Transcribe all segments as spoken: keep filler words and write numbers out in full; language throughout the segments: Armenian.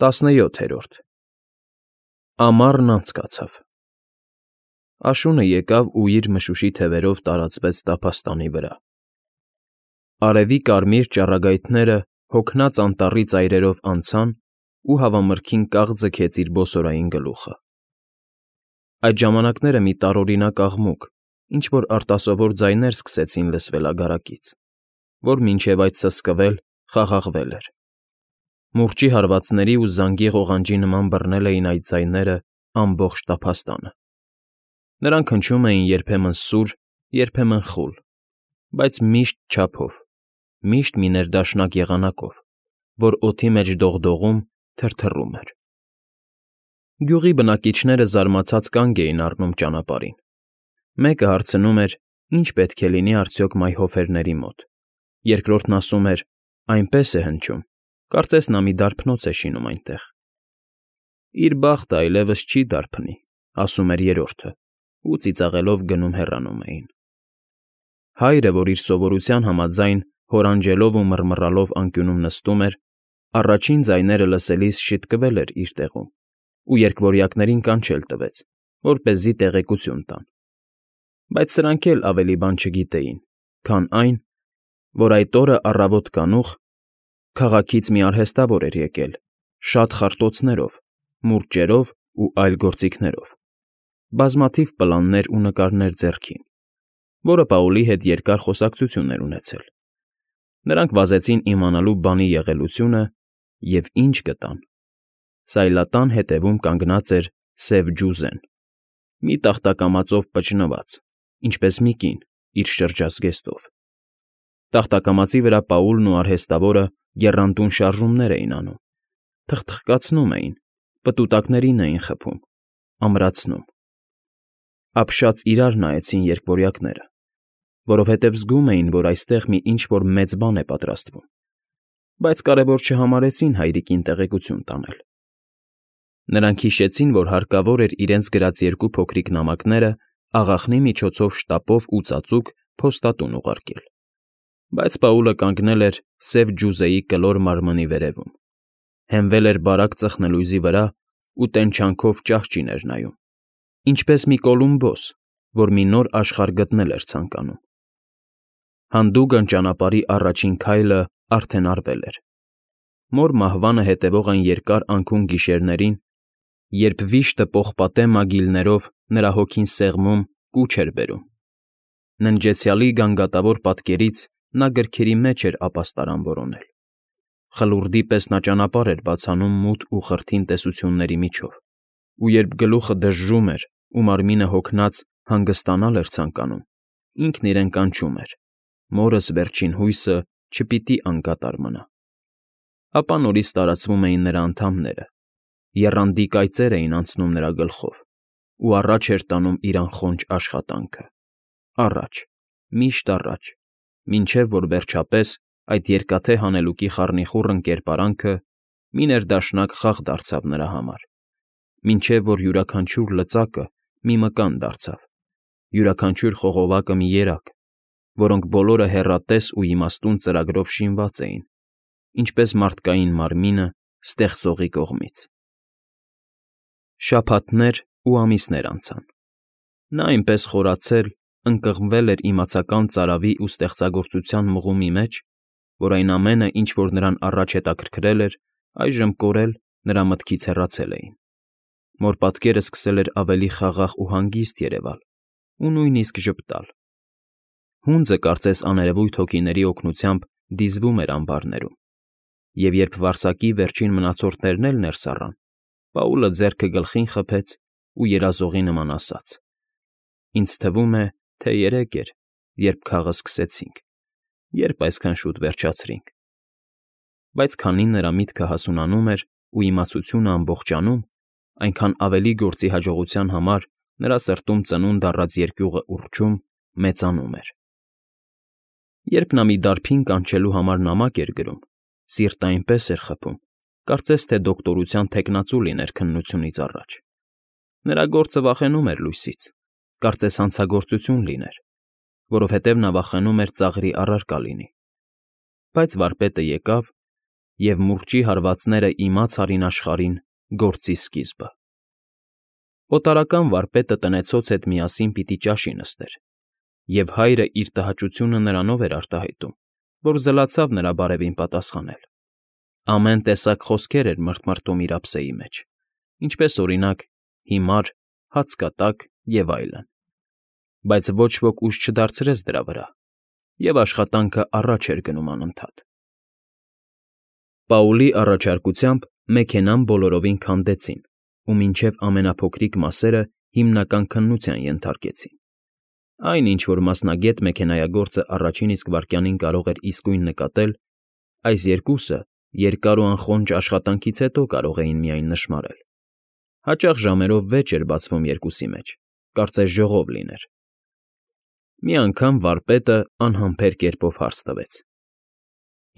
Տասնյոթերորդ Ամառն անցկացավ։ Աշունը եկավ ու իր մշուշի թևերով տարածվեց տափաստանի վրա։ Արևի կարմիր ճառագայթները հոգնած անտառի ծայրերով անցան ու հավամրգին կաղ ձգեց իր բոսորային գլուխը։ Այդ ժամանակները մի տարօրինակ աղմուկ, ինչ֊որ արտասովոր ձայներ սկսեցին լսվել ագարակից, որ մինչև այդ սսկվել, խաղաղվել էր։ Մուրճի հարվածների ու զանգի ղողանջի նման բռնել էին այդ ձայները ամբողջ տափաստանը։ Նրանք հնչում էին երբեմն սուր, երբեմն խուլ, բայց միշտ չափով, միշտ մի ներդաշնակ եղանակով, որ օդի մեջ դողդողում, թրթռում էր։ Գյուղի բնակիչները զարմացած կանգ էին առնում ճանապարհին։ Մեկը հարցնում էր. ինչ պետք է լինի արդյոք մայհոֆերների մոտ, երկրորդն ասում էր. այնպես է հնչում, կարծես նա մի դարբնոց է շինում այնտեղ։ Իր բախտը այլևս չի դարբնի, ասում էր երրորդը, ու ծիծաղելով գնում հեռանում էին։ Հայրը, որ իր սովորության համաձայն հորանջելով ու մռմռալով անկյունում նստում էր, առաջին ձայները լսելիս շիտկվել էր իր տեղում ու երկվորյակներին կանչել տվեց, որպեսզի տեղեկություն տան։ Բայց սրանք էլ ավելի բան չգիտեին, քան այն, որ այդ օրը առավոտ կանուխ քաղաքից մի արհեստավոր էր եկել, շատ խարտոցներով, մուրճերով ու այլ գործիքներով, բազմաթիվ պլաններ ու նկարներ ձեռքին, որը Պաուլի հետ երկար խոսակցություն էր ունեցել։ Նրանք վազեցին իմանալու բանի եղելությունը և ինչ գտան։ Սայլատան հետևում կանգնած էր սև ջուզեն, մի տախտակամածով պճնված, ինչպես մի կին իր շրջած զգեստով։ Տախտակամածի վրա Պաուլն ու արհեստավորը եռանդուն շարժումներ էին անում, թխթխկացնում էին, պտուտակներին էին խփում, ամրացնում։ Ապշած իրար նայեցին երկվորյակները, որովհետև զգում էին, որ այստեղ մի ինչ֊որ մեծ բան է պատրաստվում, բայց կարևոր չհամարեցին հայրիկին տեղեկություն տանել։ Նրանք հիշեցին, որ հարկավոր էր իրենց գրած երկու փոքրիկ նամակները աղախնի միջոցով շտապով ու ծածուկ փոստատուն ուղարկել։ Բայց Պաուլը կանգնել էր սև ջուզեի կլոր մարմնի վերևում, հենվել էր բարակ ծխնելույզի վրա ու տենչանքով ճահճին էր նայում, ինչպես մի Կոլումբոս, որ մի նոր աշխարհ գտնել էր ցանկանում։ Հանդուգն ճանապարհի առաջին քայլը արդեն արվել էր։ Մոր մահվանը հետևող այն երկար անքուն գիշերներին, երբ վիշտը պողպատե մագիլներով նրա հոգին սեղմում, կուչ էր բերում։ Ննջեցյալի գանգատավոր պատկերից նա գրքերի մեջ էր ապաստարան որոնել։ Խլուրդի պես նա ճանապարհ էր բացանում մութ ու խրթին տեսությունների միջով, ու երբ գլուխը դժժում էր ու մարմինը հոգնած հանգստանալ էր ցանկանում, ինքն իրեն կանչում էր. մորս վերջին հույսը չպիտի անկատար մնա։ Ապա նորից տարածվում էին նրա անդամները, եռանդի կայծեր էին անցնում նրա գլխով, ու առաջ էր տանում իր անխոնջ աշխատանքը, առաջ, միշտ առաջ, մինչև որ վերջապես այդ երկաթե հանելուկի խառնիխուռն կերպարանքը մի ներդաշնակ խաղ դարձավ նրա համար, մինչև որ յուրաքանչյուր լծակը մի մկան դարձավ, յուրաքանչյուր խողովակը մի երակ, որոնք բոլորը հեռատես ու իմաստուն ծրագրով շինված էին, ինչպես մարդկային մարմինը ստեղծողի կողմից։ Շաբաթներ ու ամիսներ անցան։ Նա այնպես խորացել, ընկղմվել էր իմացական ծարավի ու ստեղծագործության մղումի մեջ, որ այն ամենը, ինչ որ նրան առաջ հետաքրքրել էր, այժմ կորել, նրա մտքից հեռացել էին։ Մոր պատկերը սկսել էր ավելի խաղաղ ու հանգիստ երևալ ու նույնիսկ ժպտալ։ Հունձը կարծես աներևույթ հոգիների օգնությամբ դիզվում էր ամբարներում, և երբ վարսակի վերջին մնացորդներն էլ ներս առան, Պաուլը ձեռքը գլխին խփեց ու երազողի նման ասաց. «Ինձ թվում է, թե երեկ էր, երբ քաղը սկսեցինք, երբ այսքան շուտ վերջացրինք»։ Բայց քանի նրա միտքը հասունանում էր ու իմացությունը ամբողջանում, այնքան ավելի գործի հաջողության համար նրա սրտում ծնունդ առած երկյուղը ուռչում, մեծանում էր։ Երբ նա մի դարբին կանչելու համար նամակ էր գրում, սիրտը այնպես էր խփում, կարծես թե դոկտորության թեկնածու լիներ քննությունից առաջ։ Նրա գործը վախենում էր լույսից, կարծես հանցագործություն լիներ, որովհետև նա վախենում էր ծաղրի առարկա լինի։ Բայց վարպետը եկավ և մուրճի հարվածները իմաց արին աշխարհին գործի սկիզբը։ Օտարական վարպետը տնեցոց հետ միասին պիտի ճաշի նստեր, և հայրը իր տհաճությունը նրանով էր արտահայտում, որ զլացավ նրա բարևին պատասխանել։ Ամեն տեսակ խոսքեր էր մռթմռթում իր ափսեի մեջ, ինչպես, օրինակ, հիմար, հաց կատակ և այլն, բայց ոչ ոք ուժ չդարձրեց դրա վրա, և աշխատանքը առաջ էր գնում անընդհատ։ Պաուլի առաջարկությամբ մեքենան բոլորովին քանդեցին ու մինչև ամենափոքրիկ մասերը հիմնական քննության ենթարկեցին։ Այն, ինչ որ մասնագետ մեքենայագործը առաջին իսկ վայրկյանին կարող էր իսկույն նկատել, այս երկուսը երկար ու անխոնջ աշխատանքից հետո կարող էին միայն նշմարել։ Հաճախ ժամերով վեճ էր բացվում երկուսի մեջ, կարծես ժողով լիներ։ Մի անգամ վարպետը անհամբեր կերպով հարց տվեց.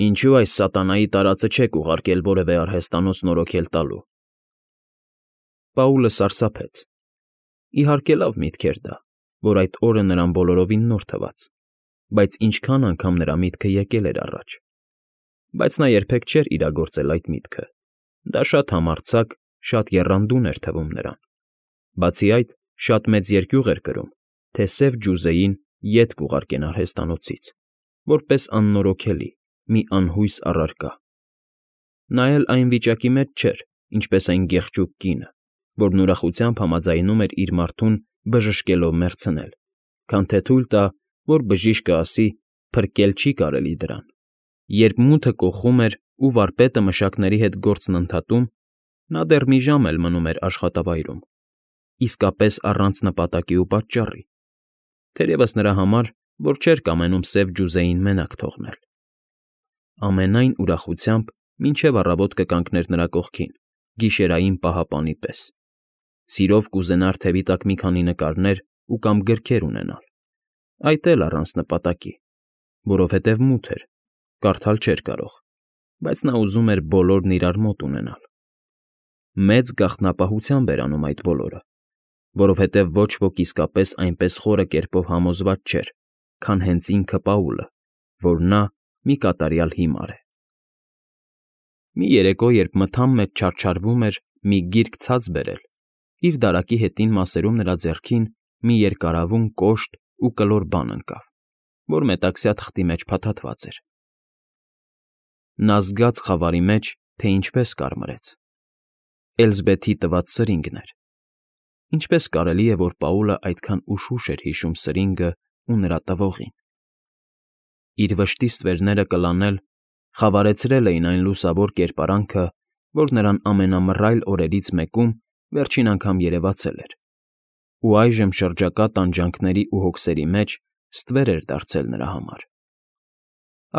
«Ինչո՞ւ այս սատանայի տարածը չեք ուղարկել որևէ արհեստանոց նորոգել տալու»։ Պաուլը սարսափեց։ Իհարկե լավ միտք էր դա, որ այդ օրը նրան բոլորովին նոր թվաց, բայց ինչքան անգամ նրա միտքը եկել էր առաջ։ Բայց նա երբեք չէր իրագործել այդ միտքը, դա շատ համարձակ, շատ եռանդուն էր թվում նրան։ Բացի այդ, շատ մեծ երկյուղ էր կրում, թե սև ջուզեին ետ կուղարկեն արհեստանոցից, որպես աննորոգելի, մի անհույս առարկա։ Նա էլ այն վիճակի մեջ չէր, ինչպես այն գեղճուկ կինը, որն ուրախությամբ համաձայնում էր իր մարդուն բժշկելով մեռցնել, քան թե թույլ տա, որ բժիշկը ասի. «Փրկել չի կարելի դրան»։ Երբ մութը կոխում էր ու վարպետը մշակների հետ գործն ընդհատում, նա դեռ մի ժամ էլ մնում էր աշխատավայրում, իսկապես առանց նպատակի ու պատճառի, թերևս նրա համար, որ չէր կամենում սև ջուզեին մենակ թողնել։ Ամենայն ուրախությամբ մինչև առավոտ կկանգներ նրա կողքին, գիշերային պահապանի պես։ Սիրով կուզենար թևի տակ մի քանի նկարներ ու կամ գրքեր ունենալ, այդ էլ առանց նպատակի, որովհետև մութ էր, կարդալ չէր կարող, բայց նա ուզում էր բոլորն իրար մոտ ունենալ։ Մեծ գաղտնապահությամբ էր անում այդ բոլորը, որովհետև ոչ ոք իսկապես այնպես խորը կերպով համոզված չէր, քան հենց ինքը Պաուլը, որ նա մի կատարյալ հիմար է։ Մի երեկո, երբ մթան մեջ չարչարվում էր մի գիրք ցած բերել, իր դարակի հետին մասերում նրա ձեռքին մի երկարավուն, կոշտ ու կլոր բան ընկավ, որ մետաքսյա թղթի մեջ փաթաթված էր։ Նա զգաց խավարի մեջ, թե ինչպես կարմրեց։ Էլզբեթի տված սրինգն էր։ Ինչպես կարելի է, որ Պաուլը այդքան ուշուշ էր հիշում սրինգը ու նրա տվողին։ Իր վշտի ստվերները կլանել, խավարեցրել էին այն լուսավոր կերպարանքը, որ նրան ամենամռայլ օրերից մեկում վերջին անգամ երևացել էր, ու այժմ շրջակա տանջանքների ու հոգսերի մեջ ստվեր էր դարձել նրա համար։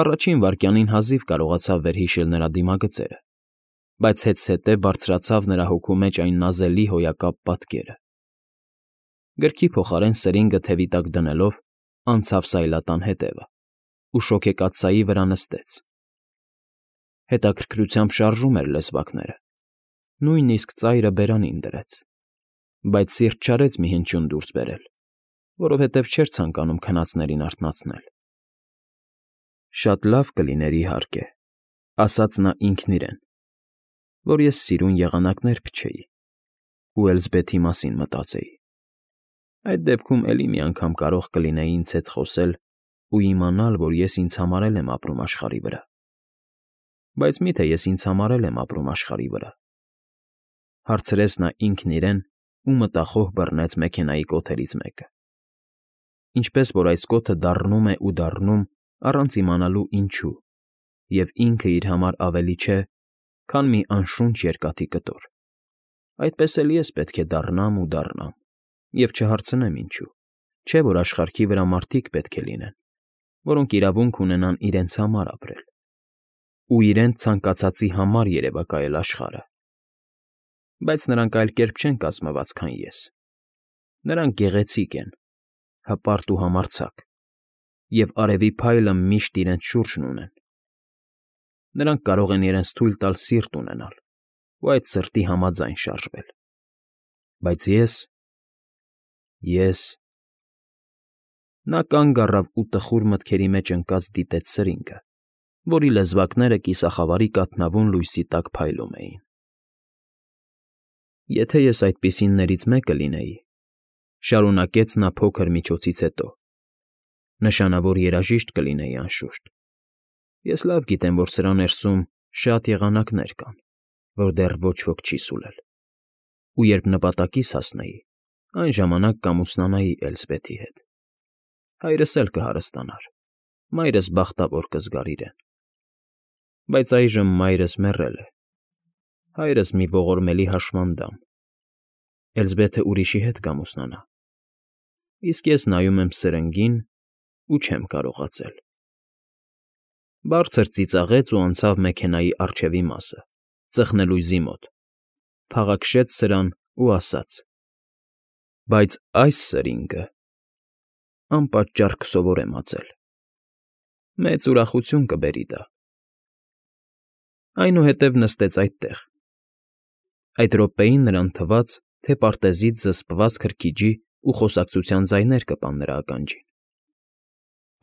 Առաջին վայրկյանին հազիվ կարողացավ վերհիշել նրա դիմագծերը, բայց հետզհետե բարձրացավ նրա հոգու մեջ այն նազելի հոյակապ պատկերը։ Գրքի փոխարեն սրինգը թևի տակ դնելով՝ անցավ սայլատան հետևը ու շոգեկաթսայի վրա նստեց։ Հետաքրքրությամբ շարժում էր լեզվակները, նույնիսկ ծայրը բերանին դրեց, բայց սիրտ չարեց մի հնչյուն դուրս բերել, որովհետև չէր ցանկանում քնածներին արթնացնել։ «Շատ լավ կլիներ, իհարկե,֊ ասաց նա ինքն իրեն,֊ որ ես սիրուն եղանակներ փչեի ու Էլզբեթի մասին մտածեի։ Այդ դեպքում էլի մի անգամ կարող կլինեի ինձ հետ խոսել ու իմանալ, որ ես ինձ համար էլ եմ ապրում աշխարհի վրա։ Բայց մի՞թե ես ինձ համար էլ եմ ապրում աշխարհի վրա,֊ հարցրեց նա ինքն իրեն ու մտախոհ բռնեց մեքենայի կոթերից մեկը։ Ինչպես որ այս կոթը դառնում է ու դառնում առանց իմանալու ինչու, և ինքը իր համար ավելի չէ, քան մի անշունչ երկաթի կտոր, այդպես էլ ես պետք է դառնամ ու դառնամ և չհարցնեմ ինչու, չէ՞ որ աշխարհքի վրա մարդիկ պետք է լինեն, որոնք իրավունք ունենան իրենց համար ապրել ու իրենց ցանկացածի համար երևակայել աշխարհը։ Բայց նրանք այլ կերպ չեն կազմված, քան ես։ Նրանք գեղեցիկ են, հպարտ ու համարձակ, և արևի փայլը միշտ իրենց շուրջն ունեն։ Նրանք կարող են իրենց թույլ տալ սիրտ ունենալ ու այդ սրտի համաձայն շարժվել։ Բայց ես… ես… Նա կանգ առավ ու տխուր մտքերի մեջ ընկած դիտեց սրինգը, որի լեզվակները կիսախավարի կաթնավուն լույսի տակ փայլում էին։ «Եթե ես այդպիսիններից մեկը լինեի,֊ շարունակեց նա փոքր միջոցից հետո,֊ նշանավոր երաժիշտ կլինեի, անշուշտ։ Ես լավ գիտեմ, որ սրա ներսում շատ եղանակներ կան, որ դեռ ոչ ոք չի սուլել, ու երբ նպատակիս հասնեի, այն ժամանակ կամուսնանայի Էլսբեթի հետ։ Հայրս էլ կհարստանար, մայրս բախտավոր կզգար իրեն։ Բայց այժմ մայրս մեռել է, հայրս մի ողորմելի հաշմանդամ, Էլսբեթը ուրիշի հետ կամուսնանա, իսկ ես նայում եմ սրնգին ու չեմ կարողացել»։ Բարձր ծիծաղեց ու անցավ մեքենայի առջևի մասը, ծխնելույզի մոտ, փաղաքշեց սրան ու ասաց. «Բայց այս սրինգը անպատճառ կսովորեմ ածել, մեծ ուրախություն կբերի դա»։ Այնուհետև նստեց այդտեղ։ Այդ րոպեին նրան թվաց, թե պարտեզից զսպված քրքիջի ու խոսակցության ձայներ կպան նրա ականջին։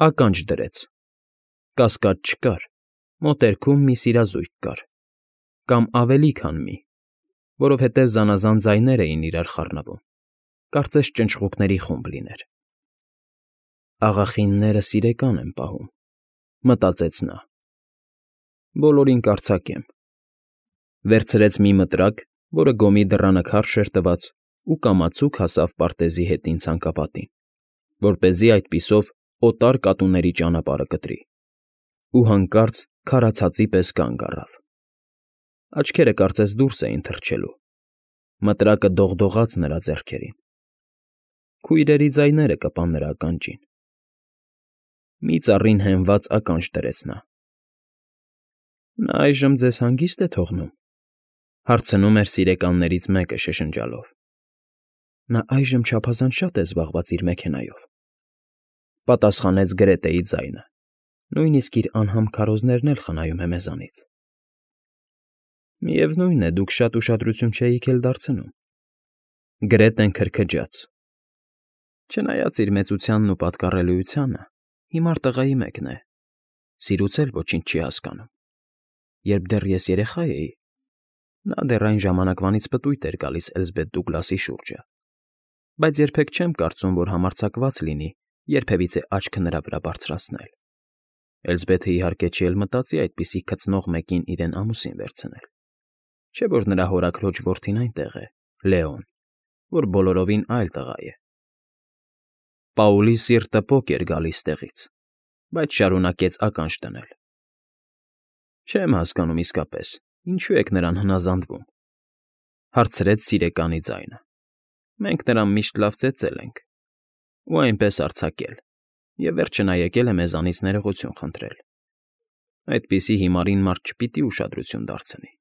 Ականջ դրեց։ Կասկած չկար, մոտերքում մի սիրազույգ կար, կամ ավելի քան մի, որովհետև զանազան ձայներ էին իրար խառնվում, կարծես ճնճղուկների խումբ լիներ։ «Աղախինները սիրեկան են պահում,֊ մտածեց նա։ Բոլորին կարձակեմ»։ Վերցրեց մի մտրակ, որը գոմի դռանը քարշ էր տված, ու կամացուկ հասավ պարտեզի հետին ցանկապատին, որպեսզի այդպիսով օտար կատուների ճանապարհը կտրի, ու հանկարծ քարացածի պես կանգ առավ։ Աչքերը կարծես դուրս էին թռչելու, մտրակը դողդողաց նրա ձեռքերին։ Քույրերի ձայները կպան նրա ականջին։ Մի ծառին հենված ականջ դրեց նա։ «Նա այժմ ձեզ հանգիստ է թողնում,֊ հարցնում էր սիրեկաններից մեկը շշնջալով։ Նա այժմ չափազանց շատ է զբաղված իր մեքենայով,֊ պատասխանեց Գրետեի ձայնը, նույնիսկ իր անհամ քարոզներն էլ խնայում է մեզանից։ Միևնույն է, դուք շատ ուշադրություն չէիք էլ դարձնում։ Գրետեն քրքջաց։ Չնայած իր մեծությանն ու պատկառելիությանը, հիմար տղայի մեկն է, սիրուց էլ ոչինչ չի հասկանում։ Երբ դեռ ես երեխա էի, նա դեռ այն ժամանակվանից պտույտ էր գալիս Էլսբեթ Դուգլասի շուրջը, բայց երբեք չեմ կարծում, որ համարձակված լինի երբևիցե աչքը նրա վրա բարձրացնել։ Էլսբեթը իհարկե չի էլ մտածի այդպիսի քծնող մեկին իրեն ամուսին վերցնել, չէ՞ որ նրա հորաքրոջ որդին այնտեղ է, Լեոն, որ բոլորովին այլ տղա է։ Պաուլի սիրտը պոկ էր գալիս տեղից, բայց շարունակեց ականջ դնել։ Չեմ հասկանում իսկապես, ինչու եք նրան հնազանդվում,֊ հարցրեց սիրեկանի ձայնը։ Մենք նրան միշտ լավ ծեծել ենք, ու այնպես արձակել, և վերջը նա եկել է մեզանից ներողություն խնդրել։ Այդպիսի հիմարին մարդ չպիտի ուշադրություն դարձնի։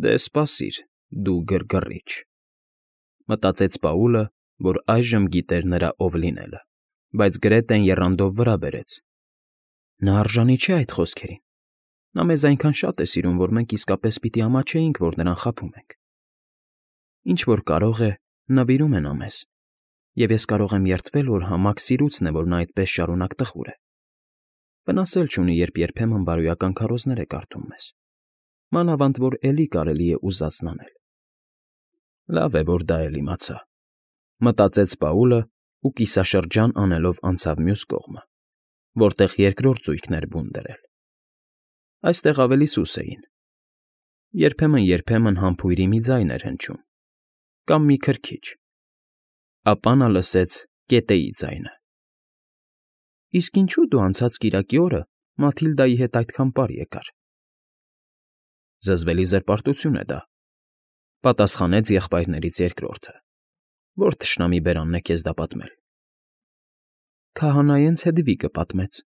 Դե սպասիր, դու գրգռիչ,֊ մտածեց Պաուլը, որ այժմ գիտեր նրա ով լինելը, բայց Գրետեն եռանդով վրա բերեց։ Նա արժանի չէ այդ խոսքերին։ Նա մեզ այնքան շատ է սիրում, որ մենք իսկապես պիտի ամաչեինք, որ նրան խաբում ենք։ Ինչ որ կարող է, նվիրում է նա մեզ, և ես կարող եմ երդվել, որ համակ սիրուցն է, որ նա այդպես շարունակ տխուր է։ Վնաս էլ չունի, երբ երբեմն բարոյական քարոզներ է կարդում մեզ, մանավանդ որ էլի կարելի է ուզածն անել։ Լավ է, որ դա էլ իմացա,֊ մտածեց Պաուլը ու կիսաշրջան անելով անցավ մյուս կողմը, որտեղ երկրորդ զույգն էր բուն դրել։ Այստեղ ավելի սուս էին։ Երբեմն֊երբեմն համբույրի մի ձայն էր հնչում, կամ մի քրքիջ, ապա նա լսեց կետերի ձայնը։ Իսկ ինչու դու անցած կիրակի օրը Մաթիլդայի հետ այդքան պար եկար։ Զզվելի զրպարտություն է դա,֊ պատասխանեց եղբայրներից երկրորդը։ Որ թշնամի բերանն է քեզ դա պատմել։ Քահանայենց Հեդվիգը պատմեց։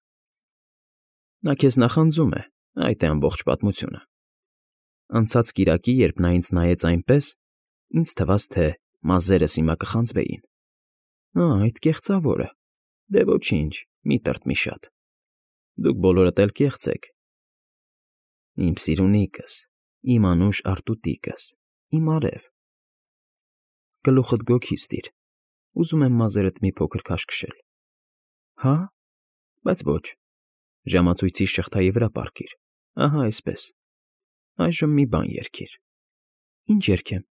Նա քեզ նախանձում է, այդ է ամբողջ պատմությունը։ Անցած կիրակի, երբ նա ինձ նայեց այնպես, ինձ թվաց, թե մազերս հիմա կխանձվեին։ Ա, այդ կեղծավորը։ Դե ոչինչ, մի տրտմի շատ։ Դուք բոլորդ էլ կեղծ եք։ Իմ սիրունիկս, իմ անուշ արտուտիկս, իմ արև։ Գլուխդ գոգի ստիր, ուզում եմ մազերդ մի փոքր քաշքշել։ Հա՞, բայց ոչ, Ժամացույցի շղթայի վրա պառկիր, ահա այսպես, այժմ մի բան երգիր։ Ինչ երգեմ։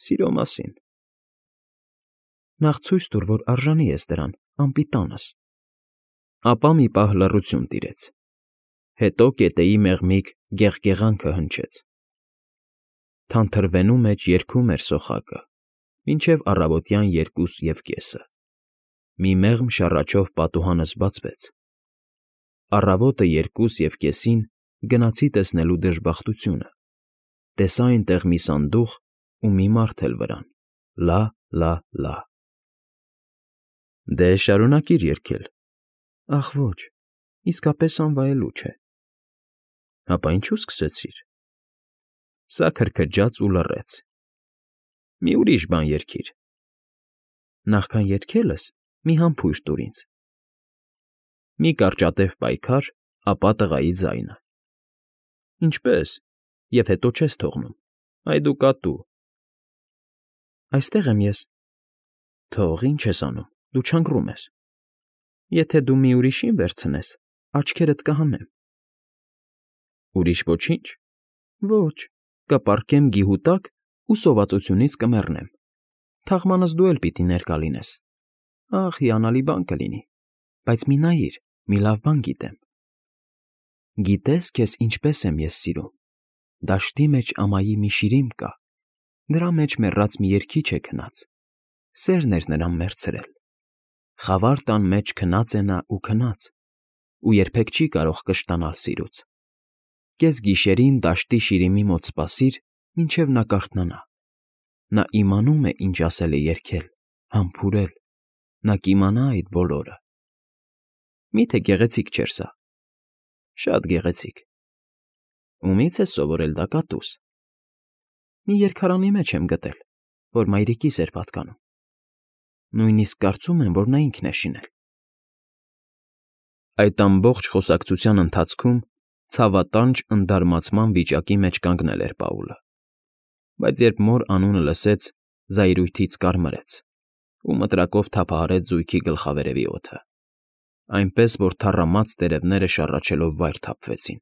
Սիրո մասին։ Նախ ցույց տուր, որ արժանի ես դրան, անպիտանս։ Ապա մի պահ լռություն տիրեց, հետո կետեի մեղմիկ գեղգեղանքը հնչեց։ Թանթրվենու մեջ երգում էր սոխակը, մինչև առավոտյան երկուս և կեսը։ Մի մեղմ շառաչով պատուհանս բացվեց։ Առավոտը երկուս և կեսին գնացի տեսնելու դժբախտությունը, տեսա այնտեղ մի սանդուղք ու մի մարդ էլ վրան՝ լա, լա, լա։ Դե, շարունակիր երգել։ Ախ ոչ, իսկապես անվայելուչ է։ Հապա ինչու սկսեցիր։ Սա քրքջաց ու լռեց։ Մի ուրիշ բան երգիր։ Նախքան երգելս մի համբույր տուր ինձ։ Մի կարճատև պայքար, ապա տղայի ձայնը։ Ինչպե՞ս, և հետո չես թողնում, այ դու կատու։ Այստեղ եմ ես։ Թող, ինչ ես անում, դու չընկռում ես։ Եթե դու մի ուրիշին վերցնես, աչքերդ կհանեմ։ Ուրիշ ոչի՞նչ։ Ոչ, կպառկեմ գիհու տակ ու սովածությունից կմեռնեմ։ Թաղմանս դու էլ պիտի ներկա լինես։ Ախ, հիանալի բան կլինի, բայց մի նայիր, մի լավ բան գիտեմ։ Գիտե՞ս, քեզ ինչպես եմ ես սիրում։ Դաշտի մեջ ամայի մի շիրիմ կա, նրա մեջ մեռած մի երգիչ է քնած, սերն էր նրան մեռցրել։ Խավար տան մեջ քնած է նա ու քնած, ու երբեք չի կարող կշտանալ սիրուց։ Կեսգիշերին դաշտի շիրիմի մոտ սպասիր, մինչև նա կարթնանա։ Նա իմանում է, ինչ ասել է երգել, համբուրել, նա կիմանա այդ բոլորը։ Մի՞թե գեղեցիկ չէր սա։ Շատ գեղեցիկ։ Ումի՞ց ես սովորել դա, կատուս։ Մի երգարանի մեջ եմ գտել, որ մայրիկիս էր պատկանում։ Նույնիսկ կարծում եմ, որ նա ինքն է շինել։ Այդ ամբողջ խոսակցության ընթացքում ցավատանջ ընդարմացման վիճակի մեջ կանգնել էր Պաուլը, բայց երբ մոր անունը լսեց, զայրույթից կարմրեց ու մտրակով թափահարեց զույգի գլխավերևի օդը, այնպես որ թառամած տերևները շառաչելով վայր թափվեցին։